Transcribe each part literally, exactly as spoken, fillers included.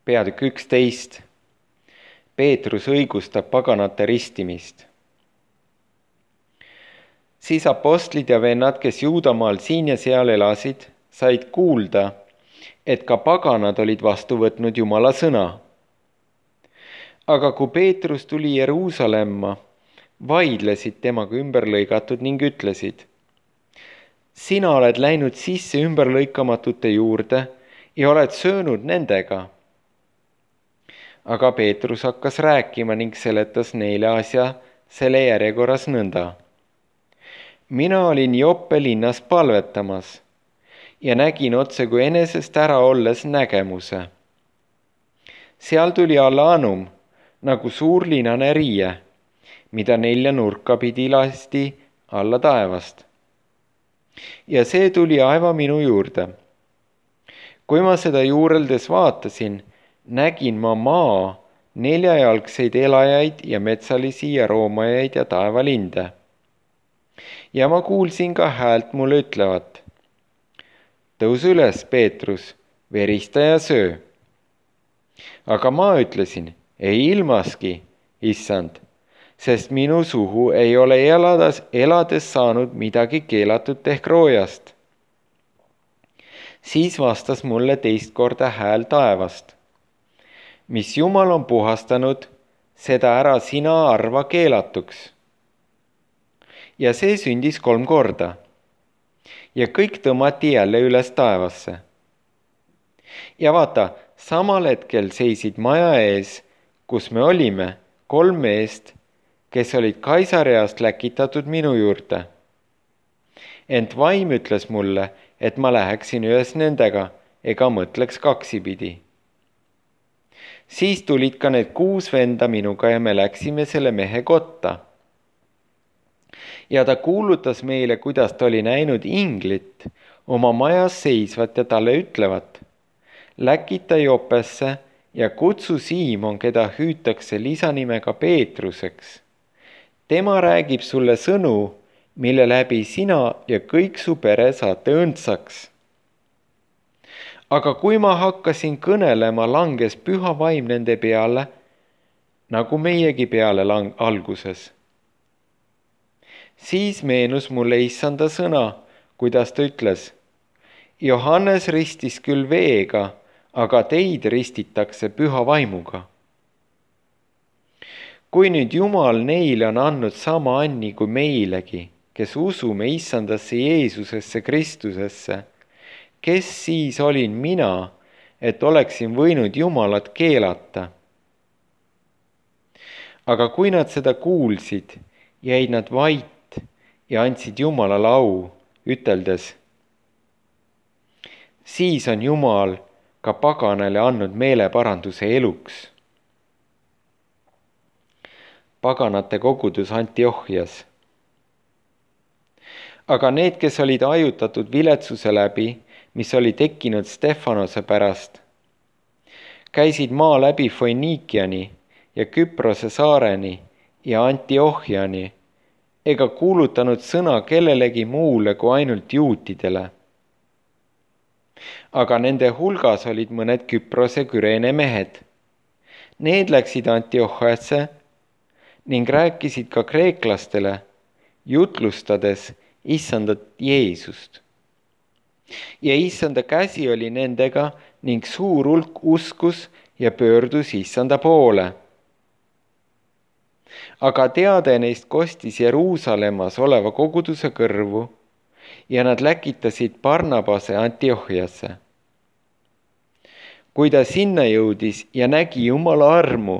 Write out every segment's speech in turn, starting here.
peatükk üksteist. Peetrus õigustab paganate ristimist. Siis apostlid ja vennad, kes Juudamaal siin ja seal elasid, said kuulda, et ka paganad olid vastu võtnud Jumala sõna. Aga kui Peetrus tuli Jeruusalemma, vaidlesid temaga ümberlõigatud ning ütlesid: sina oled läinud sisse ümberlõikamatute juurde ja oled söönud nendega. Aga Peetrus hakkas rääkima ning seletas neile asja selle järjekorras nõnda. Mina olin Joppe linnas palvetamas ja nägin otse kui enesest ära olles nägemuse. Seal tuli alla anum nagu suur linane riie, mida nelja nurka pidi lasti alla taevast. Ja see tuli aeva minu juurde. Kui ma seda juureldes vaatasin, nägin ma maa neljajalgseid elajaid ja metsalisi ja roomajaid ja taevalinde. Ja ma kuulsin ka häält mulle ütlevat: tõus üles, Peetrus, verista ja söö. Aga ma ütlesin: ei ilmaski, issand, sest minu suhu ei ole elades, elades saanud midagi keelatud ehk roojast. Siis vastas mulle teist korda hääl taevast: mis Jumal on puhastanud, seda ära sina arva keelatuks. Ja see sündis kolm korda. Ja kõik tõmmati jälle üles taevasse. Ja vaata, samal hetkel seisid maja ees, kus me olime, kolm meest, kes olid Kaisareast läkitatud minu juurde. Ent vaim ütles mulle, et ma läheksin ühes nendega, ega mõtleks kaksipidi. Siis tulid ka need kuus venda minuga ja me läksime selle mehe kotta. Ja ta kuulutas meile, kuidas ta oli näinud inglit oma majas seisvat ja talle ütlevat: läkita Jopesse ja kutsu Siimon, keda hüütakse lisanimega Peetruseks. Tema räägib sulle sõnu, mille läbi sina ja kõik su pere saate õndsaks. Aga kui ma hakkasin kõnelema, langes püha vaim nende peale, nagu meiegi peale lang- alguses. Siis meenus mulle issanda sõna, kuidas ta ütles: Johannes ristis küll veega, aga teid ristitakse püha vaimuga. Kui nüüd Jumal neile on andnud sama anni kui meilegi, kes usume issandasse Jeesusesse Kristusesse, kes siis olin mina, et oleksin võinud Jumalat keelata? Aga kui nad seda kuulsid, jäid nad vait ja andsid Jumalale au, üteldes: siis on Jumal ka paganale andnud meeleparanduse eluks. Paganate kogudus Antiochias. Aga need, kes olid ajutatud viletsuse läbi, mis oli tekkinud Stefanose pärast, käisid maa läbi Foinikiani ja Küprose saareni ja Antiochiani, ega kuulutanud sõna kellelegi muule kui ainult juutidele. Aga nende hulgas olid mõned Küprose Küreene mehed. Need läksid Antiochiasse ning rääkisid ka kreeklastele, jutlustades issandat Jeesust. Ja issanda käsi oli nendega ning suur hulk uskus ja pöördus issanda poole. Aga teade neist kostis Jeruusalemmas oleva koguduse kõrvu ja nad läkitasid Barnabase Antiochiasse. Kui ta sinna jõudis ja nägi Jumala armu,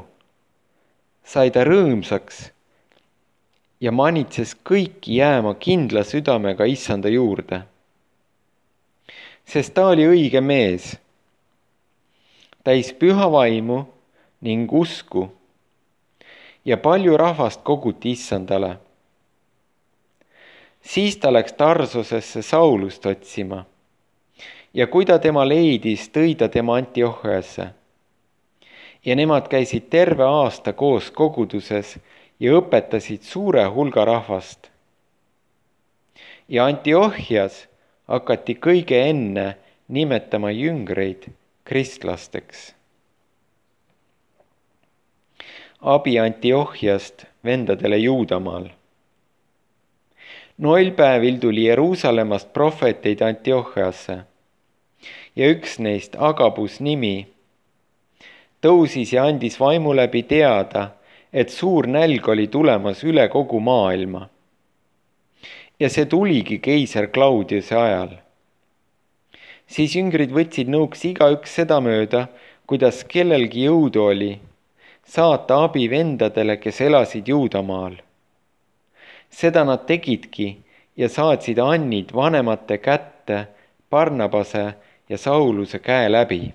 sai ta rõõmsaks ja manitses kõiki jääma kindla südamega issanda juurde. Sest ta oli õige mees, täis püha vaimu ning usku, ja palju rahvast koguti issandale. Siis ta läks Tarsosesse Saulust otsima ja kui ta tema leidis, tõi ta tema Antiochiasse. Ja nemad käisid terve aasta koos koguduses ja õpetasid suure hulga rahvast. Ja Antiochias hakati kõige enne nimetama jüngreid kristlasteks. abi Antiochiast vendadele Juudamaal. Noil päevil tuli Jeruusalemmast prohveteid Antiochiasse ja üks neist, Agabus nimi, tõusis ja andis vaimu läbi teada, et suur nälg oli tulemas üle kogu maailma. Ja see tuligi keiser Claudiuse ajal. Siis jüngrid võtsid nõuks igaüks sedamööda, kuidas kellelgi jõudu oli, saata abi vendadele, kes elasid Juudamaal. Seda nad tegidki ja saatsid annid vanemate kätte Barnabase ja Sauluse käe läbi.